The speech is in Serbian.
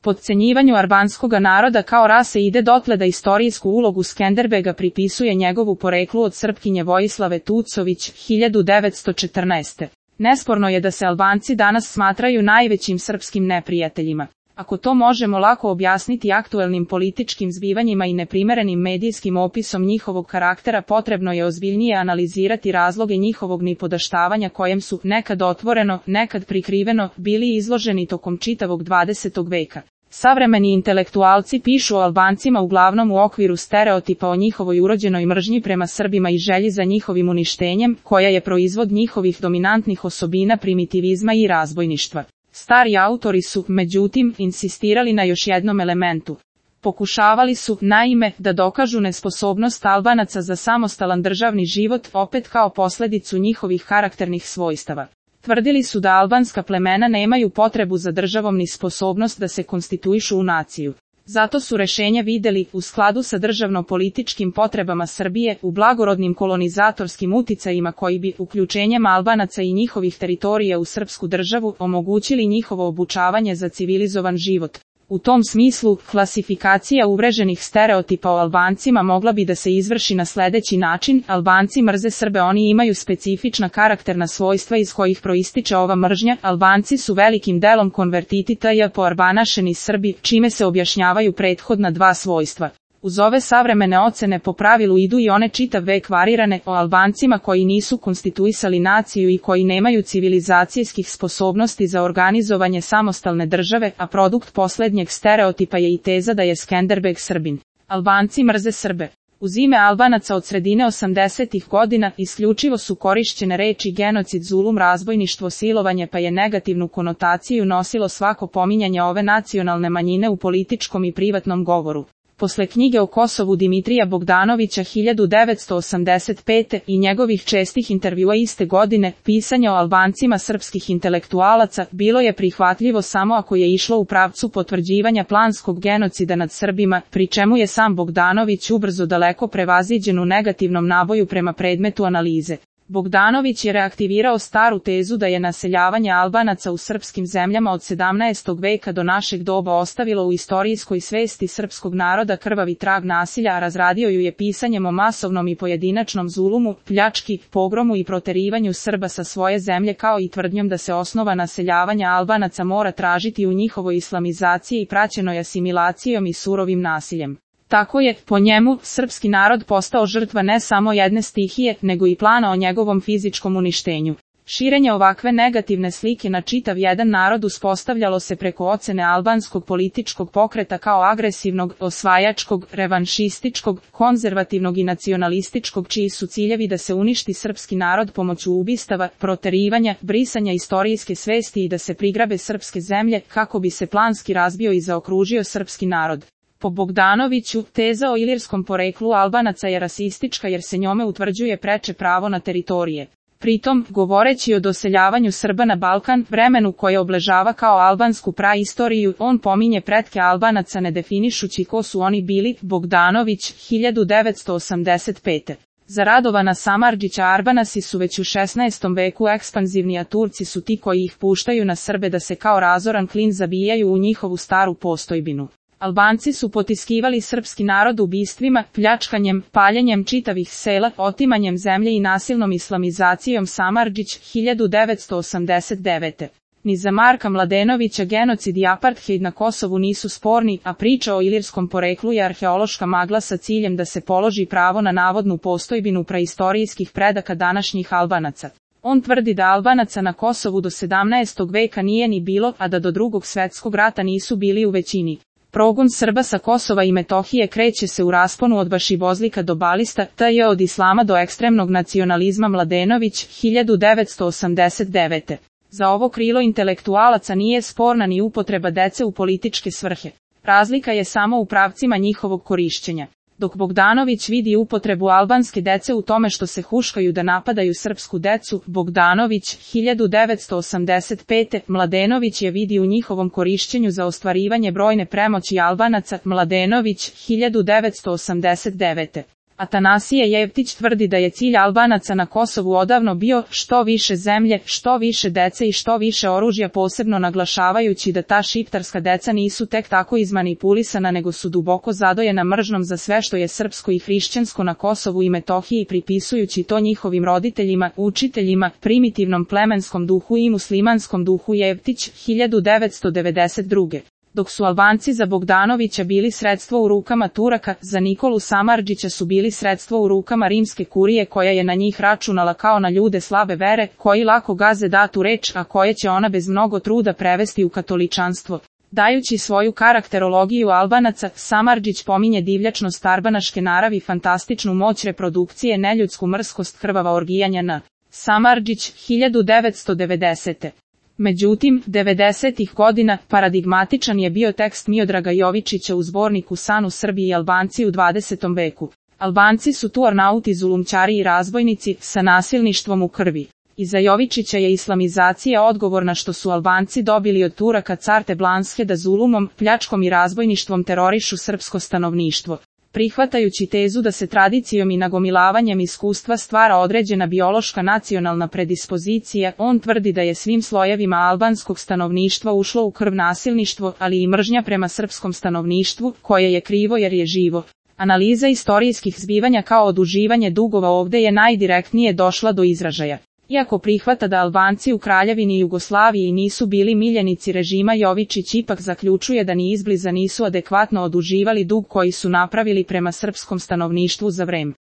Podcenjivanju albanskoga naroda kao rase ide dotle da istorijsku ulogu Skenderbega pripisuje njegovu poreklu od Srpkinje Vojislave Tucović, 1914. Nesporno je da se Albanci danas smatraju najvećim srpskim neprijateljima. Ako to možemo lako objasniti aktuelnim političkim zbivanjima i neprimerenim medijskim opisom njihovog karaktera, potrebno je ozbiljnije analizirati razloge njihovog nipodaštavanja kojem su, nekad otvoreno, nekad prikriveno, bili izloženi tokom čitavog 20. veka. Savremeni intelektualci pišu o Albancima uglavnom u okviru stereotipa o njihovoj urođenoj mržnji prema Srbima i želji za njihovim uništenjem, koja je proizvod njihovih dominantnih osobina primitivizma i razbojništva. Stari autori su, međutim, insistirali na još jednom elementu. Pokušavali su, naime, da dokažu nesposobnost Albanaca za samostalan državni život, opet kao posljedicu njihovih karakternih svojstava. Tvrdili su da albanska plemena nemaju potrebu za državom ni sposobnost da se konstituišu u naciju. Zato su rešenja videli, u skladu sa državno-političkim potrebama Srbije, u blagorodnim kolonizatorskim uticajima koji bi, uključenjem Albanaca i njihovih teritorija u srpsku državu, omogućili njihovo obučavanje za civilizovan život. U tom smislu, klasifikacija uvreženih stereotipa o Albancima mogla bi da se izvrši na sledeći način: Albanci mrze Srbe, oni imaju specifična karakterna svojstva iz kojih proističe ova mržnja, Albanci su velikim delom konvertiti tj. poarbanašeni Srbi, čime se objašnjavaju prethodna dva svojstva. Uz ove savremene ocene po pravilu idu i one čitav vek varirane o Albancima koji nisu konstituisali naciju i koji nemaju civilizacijskih sposobnosti za organizovanje samostalne države, a produkt poslednjeg stereotipa je i teza da je Skenderbeg Srbin. Albanci mrze Srbe. Uz ime Albanaca od sredine 80. godina isključivo su korišćene reči genocid, zulum, razbojništvo, silovanje, pa je negativnu konotaciju nosilo svako pominjanje ove nacionalne manjine u političkom i privatnom govoru. Posle knjige o Kosovu Dimitrija Bogdanovića 1985. i njegovih čestih intervjua iste godine, pisanje o Albancima srpskih intelektualaca bilo je prihvatljivo samo ako je išlo u pravcu potvrđivanja planskog genocida nad Srbima, pri čemu je sam Bogdanović ubrzo daleko prevaziđen u negativnom naboju prema predmetu analize. Bogdanović je reaktivirao staru tezu da je naseljavanje Albanaca u srpskim zemljama od 17. veka do našeg doba ostavilo u istorijskoj svesti srpskog naroda krvavi trag nasilja, a razradio ju je pisanjem o masovnom i pojedinačnom zulumu, pljački, pogromu i proterivanju Srba sa svoje zemlje, kao i tvrdnjom da se osnova naseljavanja Albanaca mora tražiti u njihovoj islamizaciji i praćenoj asimilacijom i surovim nasiljem. Tako je, po njemu, srpski narod postao žrtva ne samo jedne stihije, nego i plana o njegovom fizičkom uništenju. Širenje ovakve negativne slike na čitav jedan narod uspostavljalo se preko ocene albanskog političkog pokreta kao agresivnog, osvajačkog, revanšističkog, konzervativnog i nacionalističkog, čiji su ciljevi da se uništi srpski narod pomoću ubistava, proterivanja, brisanja istorijske svesti i da se prigrabe srpske zemlje, kako bi se planski razbio i zaokružio srpski narod. Po Bogdanoviću, teza o ilirskom poreklu Albanaca je rasistička jer se njome utvrđuje preče pravo na teritorije. Pritom, govoreći o doseljavanju Srba na Balkan, vremenu koje obležava kao albansku praistoriju, on pominje pretke Albanaca ne definišući ko su oni bili. Bogdanović, 1985. Za Radovana Samardžića Arbanasi su već u 16. veku ekspanzivni, a Turci su ti koji ih puštaju na Srbe da se kao razoran klin zabijaju u njihovu staru postojbinu. Albanci su potiskivali srpski narod ubistvima, pljačkanjem, paljenjem čitavih sela, otimanjem zemlje i nasilnom islamizacijom. Samardžić, 1989. Ni za Marka Mladenovića genocid i apartheid na Kosovu nisu sporni, a priča o ilirskom poreklu je arheološka magla sa ciljem da se položi pravo na navodnu postojbinu praistorijskih predaka današnjih Albanaca. On tvrdi da Albanaca na Kosovu do 17. veka nije ni bilo, a da do Drugog svetskog rata nisu bili u većini. Progon Srba sa Kosova i Metohije kreće se u rasponu od Bašibozlika do Balista, t.j. od islama do ekstremnog nacionalizma. Mladenović, 1989. Za ovo krilo intelektualaca nije sporna ni upotreba dece u političke svrhe. Razlika je samo u pravcima njihovog korišćenja. Dok Bogdanović vidi upotrebu albanske dece u tome što se huškaju da napadaju srpsku decu, Bogdanović, 1985. Mladenović je vidi u njihovom korišćenju za ostvarivanje brojne premoći Albanaca. Mladenović, 1989. Atanasije Jevtić tvrdi da je cilj Albanaca na Kosovu odavno bio što više zemlje, što više dece i što više oružja, posebno naglašavajući da ta šiptarska deca nisu tek tako izmanipulisana nego su duboko zadojena mržnjom za sve što je srpsko i hrišćansko na Kosovu i Metohiji, pripisujući to njihovim roditeljima, učiteljima, primitivnom plemenskom duhu i muslimanskom duhu. Jevtić, 1992. Dok su Albanci za Bogdanovića bili sredstvo u rukama Turaka, za Nikolu Samardžića su bili sredstvo u rukama rimske kurije koja je na njih računala kao na ljude slabe vere, koji lako gaze datu reč, a koje će ona bez mnogo truda prevesti u katoličanstvo. Dajući svoju karakterologiju Albanaca, Samardžić pominje divljačnost arbanaške naravi, fantastičnu moć reprodukcije, neljudsku mrskost, krvava orgijanja na Samardžić, 1990. Međutim, 90-ih godina paradigmatičan je bio tekst Miodraga Jovičića u zborniku San u Srbiji i Albanci u 20. veku. Albanci su tu arnauti, zulumčari i razbojnici sa nasilništvom u krvi. Iza Jovičića je islamizacija odgovorna što su Albanci dobili od Turaka carte Blanske da zulumom, pljačkom i razbojništvom terorišu srpsko stanovništvo. Prihvatajući tezu da se tradicijom i nagomilavanjem iskustva stvara određena biološka nacionalna predispozicija, on tvrdi da je svim slojevima albanskog stanovništva ušlo u krv nasilništvo, ali i mržnja prema srpskom stanovništvu, koje je krivo jer je živo. Analiza istorijskih zbivanja kao oduživanje dugova ovdje je najdirektnije došla do izražaja. Iako prihvata da Albanci u Kraljevini Jugoslaviji nisu bili miljenici režima, Jovičić ipak zaključuje da ni izbliza nisu adekvatno oduživali dug koji su napravili prema srpskom stanovništvu za vreme